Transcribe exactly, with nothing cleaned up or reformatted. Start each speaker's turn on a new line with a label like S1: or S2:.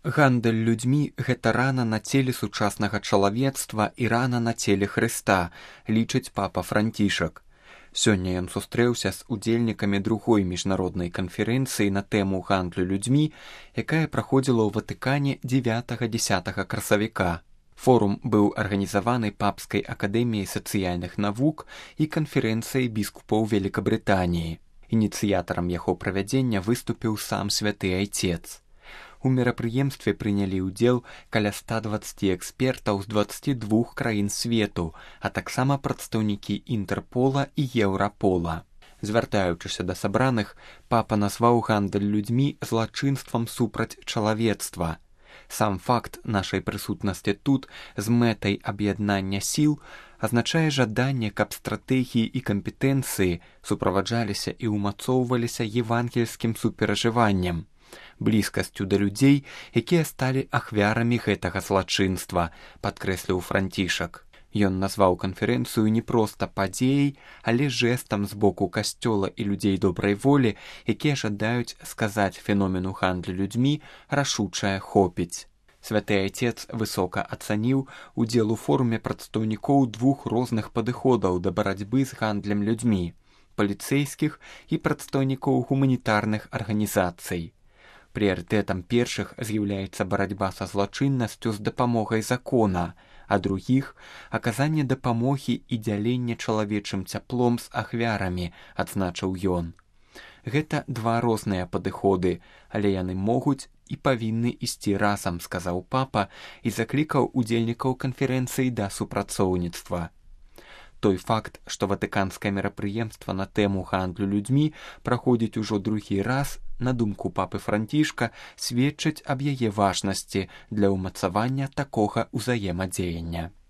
S1: Гандаль людзьмі – гэта рана на целе сучаснага чалавецтва і рана на целе Хрыста, лічыць папа Францішак. Сёння ён сустрэўся з удзельнікамі другой міжнароднай канферэнцыі на тэму гандлю людзьмі, якая праходзіла ў Ватыкане дзевятага-дзесятага красавіка. Форум быў арганізаваны Папскай акадэміяй сацыяльных навук і канферэнцыяй біскупаў Великабрытаніі. Ініцыятарам яго правядзення выступіў сам святы айцец. У мерапрыемстве прынялі ўдзел каля ста дваццаці экспертаў з дваццаці двух краін свету, а таксама прадстаўнікі Інтэрпола і Еўрапола. Звяртаючыся да сабраных, папа назваў гандаль людзьмі злачынствам супраць чалавецтва. Сам факт нашай прысутнасці тут з мэтай аб'яднання сіл азначае жаданне, каб стратэгіі і кампетэнцыі суправаджаліся і ўмацоўваліся евангельскім суперажываннем, блізкасцю да людзей, якія сталі ахвярамі гэтага злачынства, падкрэсліў Францішак. Ён назваў канферэнцыю не проста падзеяй, але жэстам з боку касцёла і людзей добрай волі, якія жадаюць сказаць феномену гандлю людзьмі рашучае хопіць. Святы айцец высока ацаніў удзел у форуме прадстаўнікоў двух розных падыходаў да барацьбы з гандлем людзьмі – паліцэйскіх і прадстаўнікоў гуманітарных арганізацый. Прыярытэтам першых з'яўляецца барацьба са злачыннасцю з дапамогай закона, а другіх – аказанне дапамогі і дзяленне чалавечым цяплом з ахвярамі, адзначыў ён. Гэта два розныя падыходы, але яны могуць і павінны ісці разам, сказаў папа і заклікаў удзельнікаў канферэнцыі да супрацоўніцтва. Той факт, што ватыканскае мерапрыемства на тэму гандлю людзьмі праходзіць ужо другі раз, на думку папы Францішка, сведчыць аб яе важнасці для ўмацавання такога ўзаемадзеяння.